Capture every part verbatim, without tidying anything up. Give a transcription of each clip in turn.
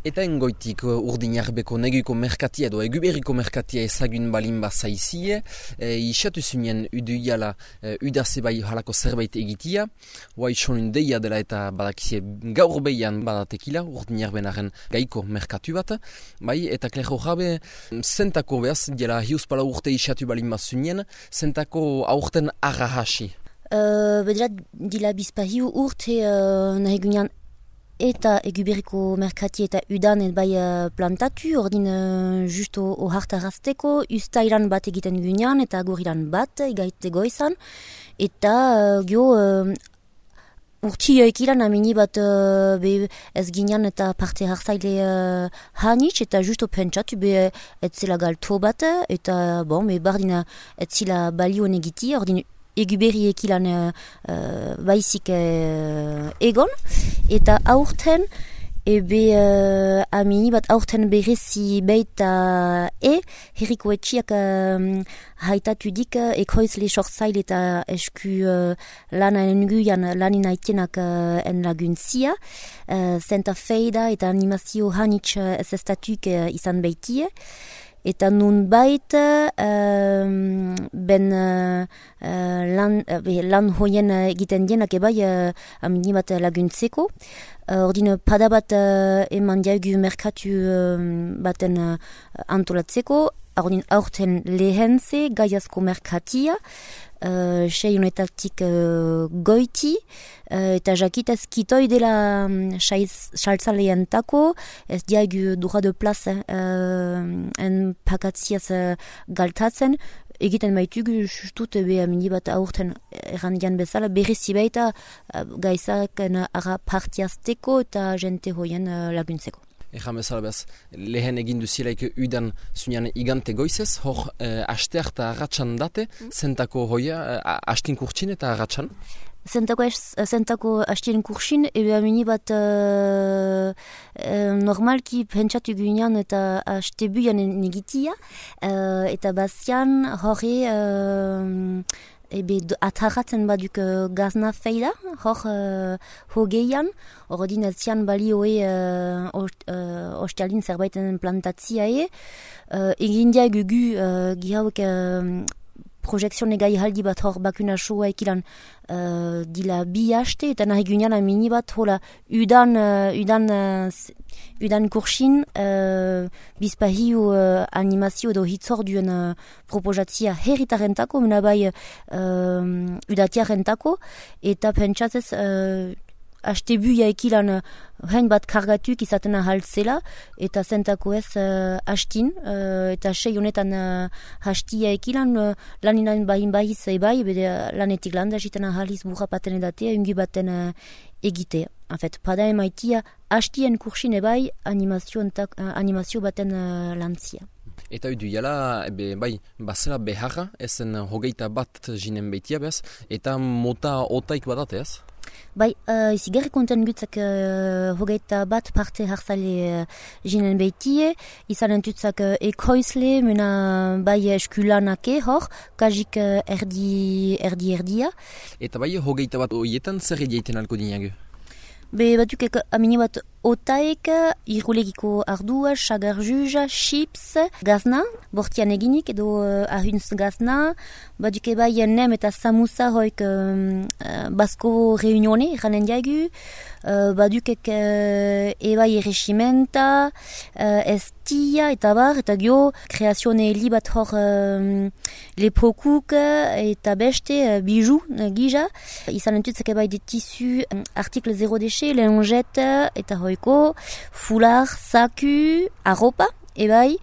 Eta engoitik urdinarbeko neguiko merkatia edo eguberriko merkatia ezagun balin bazaizie, e, isatu zunien uduiala e, udaze bai halako zerbait egitia, hoa isonun deia dela eta badakizie gaur behian badatekila urdinarbenaren gaiko merkatu bat, bai, eta klero jabe zentako behaz, dela hiuspala urte isatu balin bazunien, zentako aurten arrahasi. Uh, Bedrat, dila bizpahiu urte uh, nahi gunean eta eguberriko merkati eta udan et bai uh, plantatu, ordin uh, justo o hartarazteko, ustailan bat egiten gunean eta gorilan bat egaite goizan, eta uh, gio uh, urtio ekilan amini bat uh, be ez ginean eta parte hartzaile uh, hanitz, eta justo pentsatu be etzela galto bat, eta bon, be bardina etzela balio negiti, ordin eguberri ekilan uh, uh, baizik uh, egon, eta aurten ebe uh, amini bat aurten berezi beita e herriko etxiak uh, haitatu dik uh, ekoizle sortzaile eta esku uh, lana enguian lanin aitenak uh, en laguntzia, uh, zenta feida eta animazio hanitz uh, ez estatuk uh, izan beitie. Eta nun bait uh, ben uh, lan, uh, lan hoien egiten dienak ebai uh, amini bat laguntzeko. Uh, ordin pada bat uh, eman diagu merkatu uh, baten uh, antolatzeko. Ordin aurten lehentze gaiazko merkatia. Uh, sei honetatik uh, goiti, uh, eta jakitaz kitoi dela um, saltzalean tako, ez diagu dura de plaza uh, en pakatziaz uh, galtatzen, egiten baitugu justut ebe amini bat aurten errandian bezala, berrizi baita uh, gaizak uh, ara partiazteko eta jente hoien uh, laguntzeko. Egan bezala behaz, lehen egin duzielaik udan zunean igante goizez, hor eh, asteak eta arratxan date, mm. zentako hoia, eh, astin kurtsin eta arratxan? Zentako, zentako astien kursin, ebe amini bat uh, uh, normalki pentsatu guinean eta astebuian negitia, uh, eta bazian horre uh, ebe atarratzen baduk uh, gazna feida, hor uh, hogeian, ordin zian balioe uh, uh, ostialin zerbaiten plantatzia e, uh, egindia gugu uh, gihauek uh, projekzion egai haldi bat hor bakuna soa ekilan uh, dila bi haste, eta nahi gunean amini bat hola udan, uh, udan, uh, udan kursin uh, bizpahiu uh, animazio edo hitzorduen uh, proposatzia herritarentako, mena bai uh, udatiarentako, eta pentsatzez uh, astebuia ekilan hain bat kargatuk izaten ahaltzela, eta zentako ez uh, hastin, uh, eta sei honetan uh, hastia ekilan uh, laninan bahin bahiz ebai, bede lanetik landa jiten ahaliz burra paten edatea, ungi baten uh, egitea. En fait, pada emaitia hastien kursin ebai animazio, entak, uh, animazio baten uh, lantzia. Eta udu jala, ebe, bai, bazela beharra, ezen hogeita bat jinen beitia behaz, eta mota otaik badate ez? Bai, uh, izi gerri konten gutzak uh, hogeita bat parte hartzale uh, jinen beitie, izan entutzak uh, ekoizle, mena bai eskulanake hor, kajik uh, erdi, erdi erdia. Eta bai, hogeita bat oietan zer edieiten alko dinagu? Be batuk amini bat otaek, irrulegiko ardua, sagarjuja, chips, gazna, bortian eginik edo uh, ahuntz gazna, batuk ebai nem eta samusa hoik um, uh, basko reunione, ranen diagu, uh, badukek uh, ebai erresimenta, uh, estia eta bar, eta gio kreazione li bat hor um, leprokuk eta beste uh, bijou, uh, gija, izan entutzak ebai de tissu, um, article zero déchet, lengette eta hoiko, fular, saku, arropa, ebai,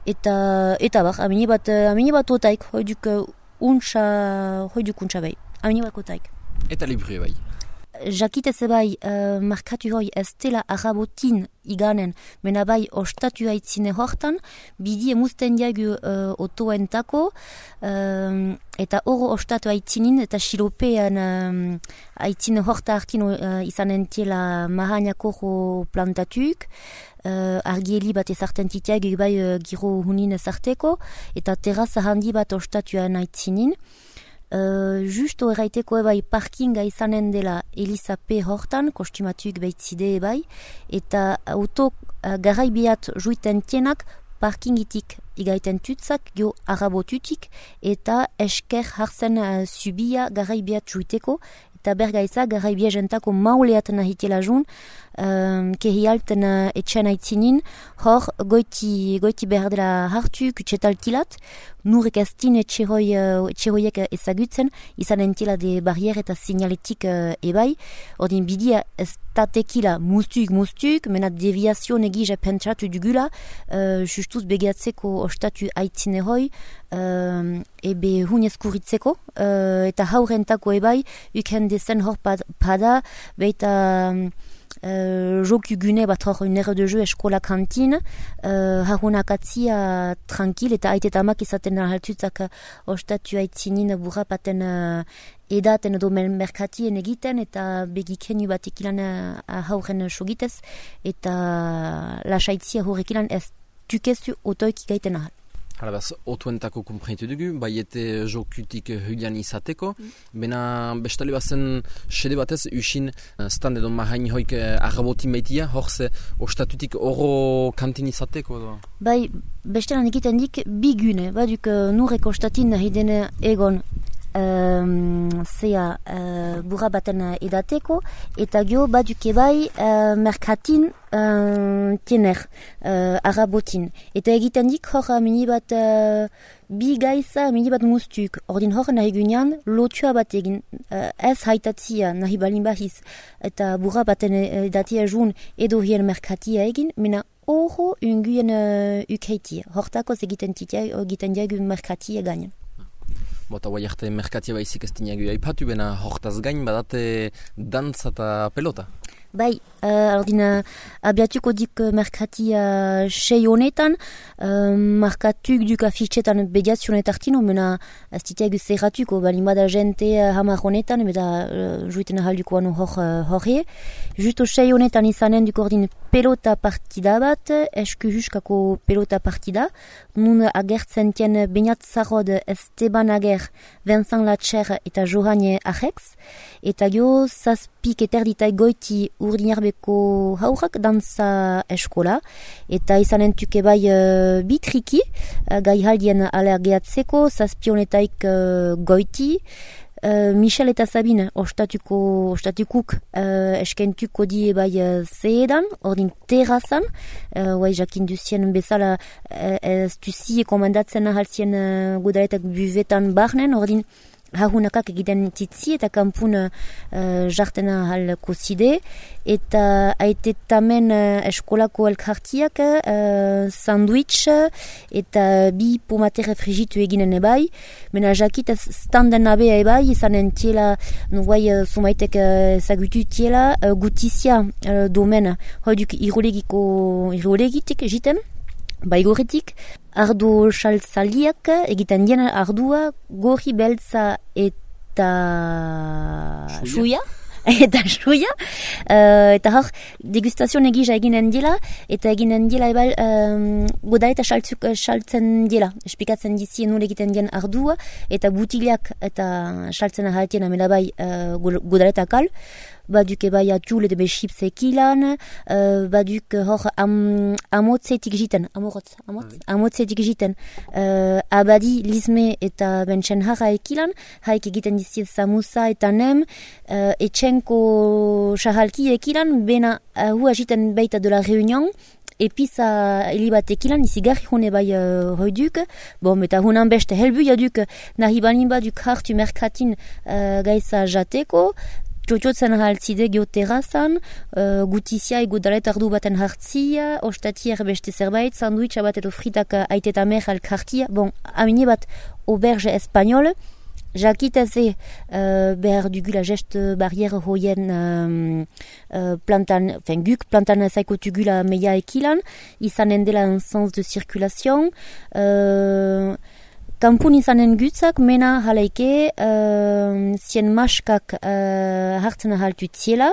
eta, eta bar, amini bat, amini bat otaik, hoiduk untsa, hoiduk untsa bai, amini bat otaik. Eta libru ebai? Jakitez ebai, uh, markatu hoi ez dela arabotin iganen, mena bai ostatu haitzine hortan, bidi emuzten diagu uh, otoentako, um, eta oro ostatu haitzinin, eta xilopean um, haitzine horta hartin uh, izanen tiela mahainako plantatuk, uh, argieli bat ezarten titiag bai uh, giro hunin ezarteko, eta terraza handi bat ostatuan haitzinin. Uh, justo erraiteko ebai parkinga izanen dela Eliza P. hortan, kostumatuk beitzide ebai, eta auto uh, garaibiat juiten tienak parkingitik igaiten tutzak, gio arabotutik, eta esker hartzen uh, subia garaibiat juiteko, eta bergaiza garaibia jentako mauleat nahitela jun, um, kehialten uh, etxean aitzinin, hor goiti, goiti behar dela hartu, kutsetaltilat, nurek ez din etxeroi, uh, etxeroiek ezagutzen, izan entila de barriere eta signaletik uh, ebai, ordin bidia ez tatekila mustuk mustuk, mena deviazio negija pentsatu dugula, uh, justuz begiatzeko ostatu aitzineroi, uh, ebe hunez kuritzeko, uh, eta haurentako ebai, uken dezen hor pad, pada, beita uh, joku gune bat hor une ere de jeu eskola kantine, uh, harunak atzia tranquil, eta aitetamak izaten haltutzak ostatu aitzinin burrapaten uh, edaten edo merkatien egiten, eta begikenu batek ilan uh, hauren sogitez, eta lasaitzia horrek ilan ez tukezu otoik gaiten ahal. Hala behaz, otuentako kumprenitu dugu, bai ete jokutik hulian izateko, mm. Bena bestale bazen sede batez usin stand edo mahain hoik arrabotin baitia, horze ostatutik oro kantin izateko edo? Bai, bestelan egiten dik bigune, baduk nurek ostatin nahi dene egon Um, zea uh, burra baten edateko, eta gio baduke bai uh, merkatin uh, tiener, uh, arabotin. Eta egiten dik hor mini bat uh, bi gaiza, mini bat mustuk. Ordin hor nahi gunean lotua bat egin, uh, ez haitatzia nahi balin bahiz, eta burra baten edatia jun edo hien merkatia egin, mena horro unguen uh, ukeitia. Hortakoz egiten diagu merkatia gainan. Bota guai arte merkatia baizik ez dinagu aipatu, bena hortaz gain badate dantza eta pelota. Bai, uh, ordina abiatuko dik merkatia sei honetan, uh, markatuk duk afitxetan bediazionetartino, mena ez ditiagu zerratuko, balin bada jente uh, hamar honetan, beda uh, juiten ahalduko anu hor uh, horre. Justo sei honetan izanen duk ordin pelota partida bat, esku juskako pelota partida, nun agertzen tien Beñat Zarrod, Esteban Ager, Vincent Latcher eta Johane Ajex, eta gio zazpik eterditai goiti urdinarbeko haurak dantza eskola, eta izanen tuke bai uh, bitriki, uh, gai haldien alergeatzeko, zazpionetaik uh, goiti, Uh, Michel eta Sabine ostatuko ostatukuk uh, eskentuko die bai uh, zeedan, ordin terrazan, uh, bai jakin duzien bezala uh, ez duzie komandatzen ahalzien uh, gudaretak buvetan barnen, ordin hahunakak egiten titzi eta kampun uh, jartena halko zide, eta aitetamen uh, eskolako elkartiak uh, sandwich eta bi pomatere frigitu eginen ebai, mena jakit standen abea ebai, izanen tiela, no guai uh, sumaitek ezagutu uh, tiela, uh, gutizia uh, domen, hoiduk irulegiko irulegitik jiten, baigoretik, ardo xaltzaliak egiten dien ardua, gorri beltza eta xuia, eta xuia, uh, eta hor degustazio negija eginen dela, eta eginen dela ebal um, goda eta xaltzen dela, espikatzen dizien nule egiten dien ardua, eta butiliak eta xaltzen ahaltien amela bai uh, goda eta kal, baduk bai atxul edo bexips ekilan, uh, baduk hor am, amotzetik jiten, amorotz, amotz, amotzetik jiten, uh, abadi, lizme eta bentsen jarra ekilan, haik egiten dizien samusa eta nem, uh, etxenko xahalki ekilan, bena uh, hua jiten baita de la reunion, epiza elibatekilan izigarri hone bai uh, hoiduk, bon, eta hunan beste helbu jaduk nahi balin baduk hartu merkatin uh, gaisa jateko, txotxotzen haltzide geoterrazan, uh, gutizia egodalet ardu baten hartzia, ostatier beste zerbait, sandwitcha bat edo fritak aitetamer alkartia, bon, amine bat auberge espagnol, jakitaze uh, behar dugula gest barriere hoien um, uh, plantan, enfin guk plantan zaiko tugula meia ekilan, izanen dela un sens de circulation, uh, kampun izanen gutzak, mena halaike, uh, zien maskak uh, hartzen ahaltu tziela,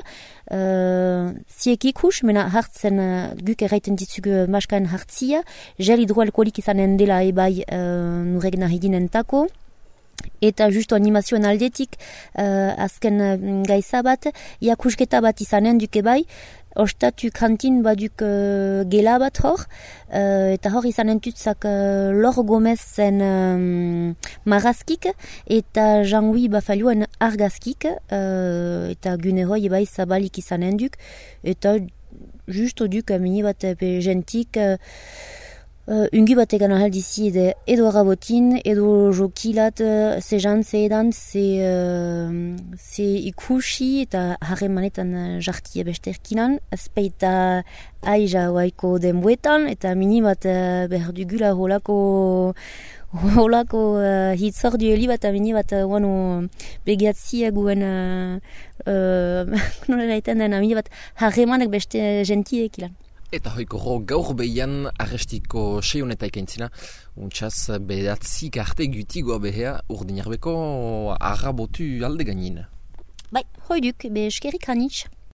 uh, ziek ikus, mena hartzen uh, guk erraiten ditzugu maskaen hartzia, gel hidroalkolik izanen dela ebai uh, nurek nahi dinentako, eta justo animazioen aldetik uh, azken uh, gaiza bat, iakusketa bat izanen duke bai, ostatu kantin baduk uh, gela bat hor, uh, eta hor izan entutzak uh, Lor Gomez zen um, marazkik, eta Jean-Louis Bafalioen argazkik, uh, eta guneroi bai zabalik izan enduk, eta justo duk mini bat pe gentik, uh, Uh, ungi bat egan ahaldizi edo, edo arabotin, edo jokilat, uh, ze jan, ze edan, ze, uh, ze ikusi eta harremanetan uh, jartie besterkinan, azpeita aiza waiko denbuetan, eta mini bat uh, behar dugula holako holako uh, hitzor dueli bat, mini bat uh, wano begiatzi guen uh, uh, nola gaiten den, mini bat harremanek beste gentiek ilan. Eta hoiko gaur behian arrestiko seioneta ikaintzina, untsaz bedatzik arte gutigoa behea Urdinarbeko arrabotu alde gainin. Bai, hoiduk, be eskerik hanitz.